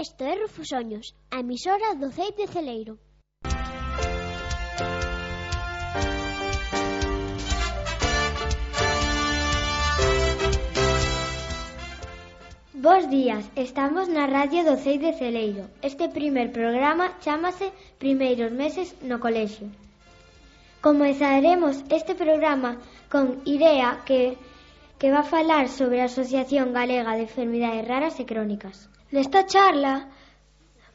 Isto é Rufosoños, a emisora do CEIP de Celeiro. Bos días, estamos na radio do CEIP de Celeiro. Este primer programa chámase Primeiros meses no colexio. Comezaremos este programa con Irea, que va a falar sobre a Asociación Galega de Enfermidades Raras e Crónicas. Nesta charla,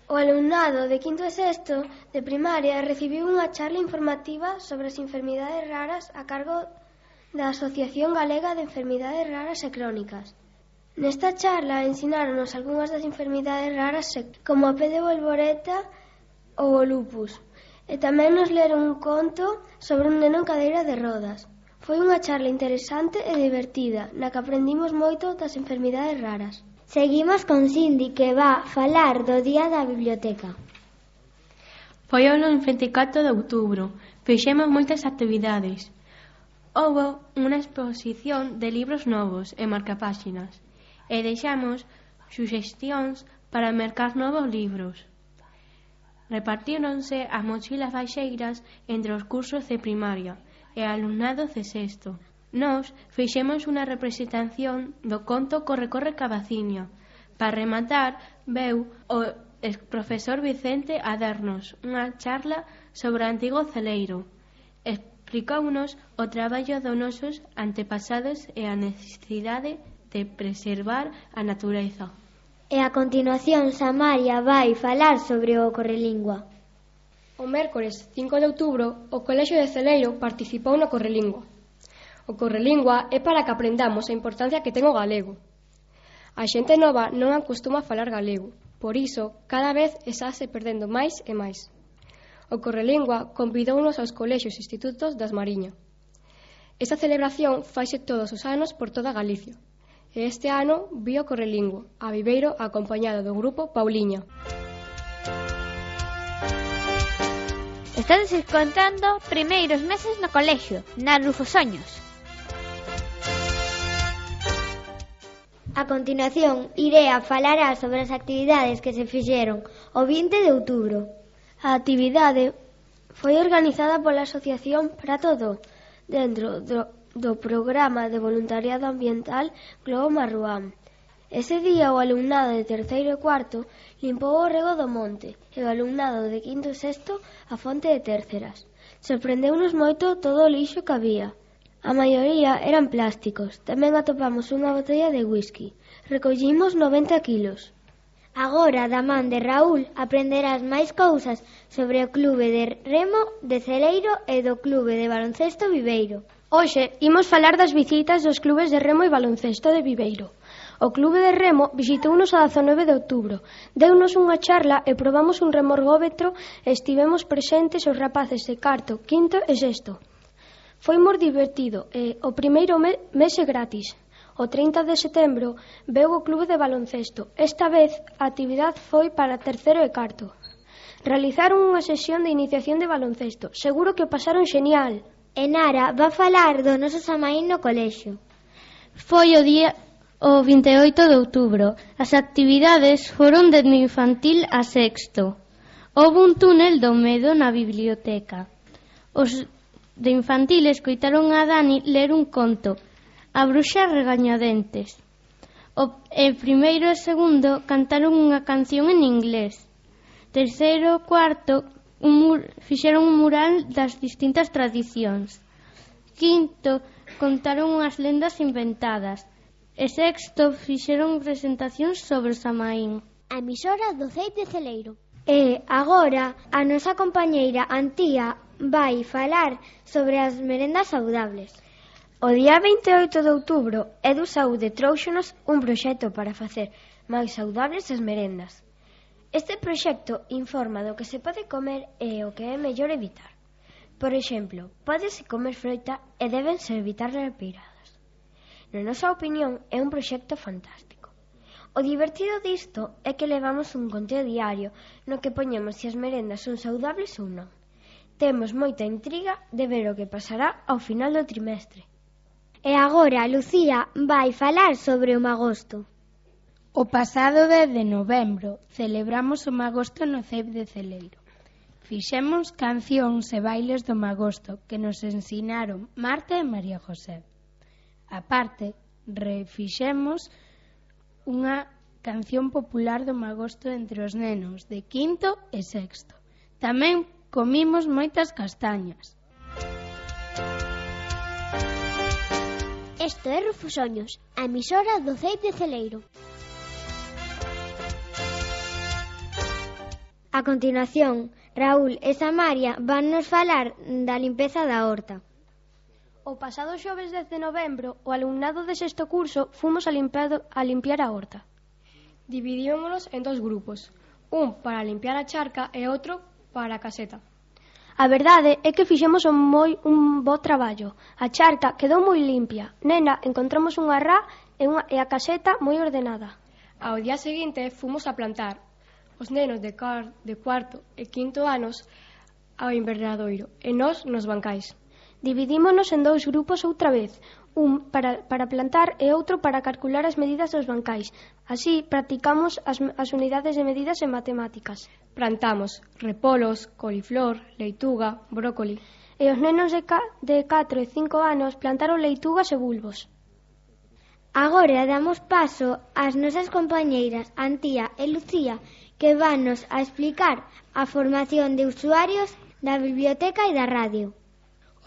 o alumnado de quinto e sexto de primaria recibiu unha charla informativa sobre as enfermidades raras a cargo da Asociación Galega de Enfermidades Raras e Crónicas. Nesta charla ensinaronos algunhas das enfermidades raras como a P de Bolboreta ou o lupus, e tamén nos leron un conto sobre un neno en cadeira de rodas. Foi unha charla interesante e divertida, na que aprendimos moito das enfermidades raras. Seguimos con Cindy, que va falar do Día da Biblioteca. Foi o 24 de outubro. Fixemos moitas actividades. Houve unha exposición de libros novos e marcapáxinas e deixamos suxestións para mercar novos libros. Repartíronse as mochilas baixeiras entre os cursos de primaria e alumnados de sexto. Nós fixemos unha representación do conto Corre, corre, cabaciña. Para rematar, veu o profesor Vicente a darnos unha charla sobre o antigo celeiro. Explicounos o traballo dos nosos antepasados e a necesidade de preservar a natureza. E a continuación, Samaria vai falar sobre o Correlingua. O mércores 5 de outubro, o Colexio de Celeiro participou no Correlingua. O Correlingua é para que aprendamos a importancia que ten o galego. A xente nova non acostuma a falar galego, por iso cada vez estase perdendo máis e máis. O Correlingua convidounos aos colexios e institutos das Mariña. Esta celebración faise todos os anos por toda Galicia, e este ano vi o Correlingua a Viveiro acompañado do grupo Pauliña. Estades escoitando Primeiros meses no colexio, na Rufosoños. A continuación, Irea falará sobre as actividades que se fixeron o 20 de outubro. A actividade foi organizada pola Asociación Prato Do, dentro do programa de voluntariado ambiental Globo Marruán. Ese día o alumnado de terceiro e cuarto limpou o rego do monte e o alumnado de quinto e sexto a fonte de Térceras. Sorprendeunos moito todo o lixo que había. A maioría eran plásticos. Tamén atopamos unha botella de whisky. Recollimos 90 kilos. Agora, da man de Raúl, aprenderás máis cousas sobre o Clube de Remo de Celeiro e do Clube de Baloncesto Viveiro. Hoxe imos falar das visitas dos clubes de remo e baloncesto de Viveiro. O Clube de Remo visitounos a 19 de outubro. Deunos unha charla e probamos un remorgómetro e estivemos presentes os rapaces de cuarto, quinto e sexto. Foi moi divertido e o primeiro mes é gratis. O 30 de setembro veu o Clube de Baloncesto. Esta vez a actividade foi para terceiro e cuarto. Realizaron unha sesión de iniciación de baloncesto. Seguro que o pasaron xenial. E Nara va falar do noso Samaín no colexio. Foi o 28 de outubro. As actividades foron dende infantil a sexto. Houve un túnel do medo na biblioteca. Os de infantil escoitaron a Dani ler un conto, A bruxa regañadentes. E primeiro e segundo cantaron unha canción en inglés. Terceiro e cuarto fixeron un mural das distintas tradicións. Quinto contaron unhas lendas inventadas. E sexto fixeron presentacións sobre o Samaín. A emisora do CEIP de Celeiro. E agora a nosa compañeira Antía vai falar sobre as merendas saudables. O día 28 de outubro, Edu Saúde trouxonos un proxecto para facer máis saudables as merendas. Este proxecto informa do que se pode comer e o que é mellor evitar. Por exemplo, pódese comer froita e débense evitar repeiradas. Na nosa opinión, é un proxecto fantástico. O divertido disto é que levamos un conteo diario no que poñemos se as merendas son saudables ou non. Temos moita intriga de ver o que pasará ao final do trimestre. E agora Lucía vai falar sobre o magosto. O pasado 10 de novembro celebramos o Magosto no CEIP de Celeiro. Fixemos cancións e bailes do Magosto que nos ensinaron Marta e María José. A parte, refixemos unha canción popular do Magosto entre os nenos de quinto e sexto. Tamén comimos moitas castañas. Isto é Rufosoños, a emisora do CEIP de Celeiro. A continuación, Raúl e Samaria van nos falar da limpeza da horta. O pasado xoves 10 de novembro, o alumnado de sexto curso fomos a limpiar a horta. Dividímonos en 2 grupos, un para limpiar a charca e outro para a caseta. A verdade é que fixemos un bo traballo. A charca quedou moi limpia. Nena, encontramos unha rá e a caseta moi ordenada. Ao día seguinte fomos a plantar os nenos de cuarto e quinto anos ao invernadoiro e nós nos bancais. Dividímonos en 2 grupos outra vez, un para plantar e outro para calcular as medidas dos bancais. Así practicamos as unidades de medidas en matemáticas. Plantamos repolos, coliflor, leituga, brócoli. E os nenos de 4 e 5 anos plantaron leitugas e bulbos. Agora damos paso ás nosas compañeiras Antía e Lucía, que vannos a explicar a formación de usuarios da biblioteca e da radio.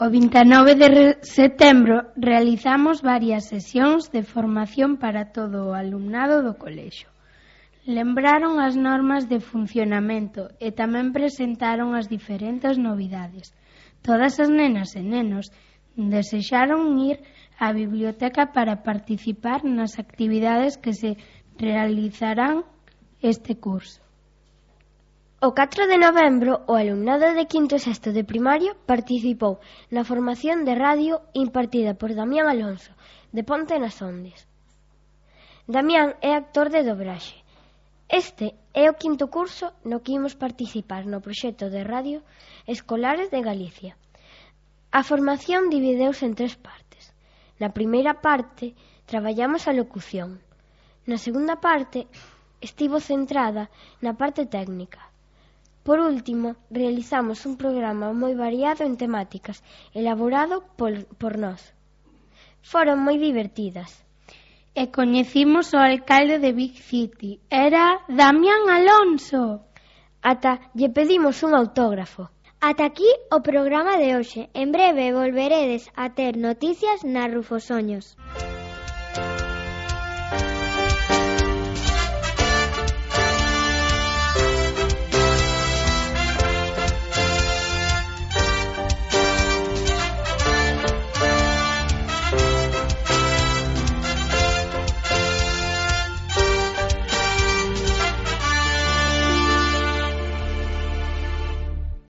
O 29 de setembro realizamos varias sesións de formación para todo o alumnado do colexio. Lembraron as normas de funcionamento e tamén presentaron as diferentes novidades. Todas as nenas e nenos desexaron ir á biblioteca para participar nas actividades que se realizarán este curso. O 4 de novembro, o alumnado de quinto e sexto de primario participou na formación de radio impartida por Damián Alonso, de Ponte nas Ondes. Damián é actor de dobraxe. Este é o quinto curso no que imos participar no proxecto de radio Escolares de Galicia. A formación divideuse en 3 partes. Na primeira parte, traballamos a locución. Na segunda parte, estivo centrada na parte técnica. Por último, realizamos un programa moi variado en temáticas, elaborado por nós. Foron moi divertidas. E coñecimos o alcalde de Big City. Era Damián Alonso. Ata lle pedimos un autógrafo. Ata aquí o programa de hoxe. En breve volveredes a ter noticias na Rufosoños.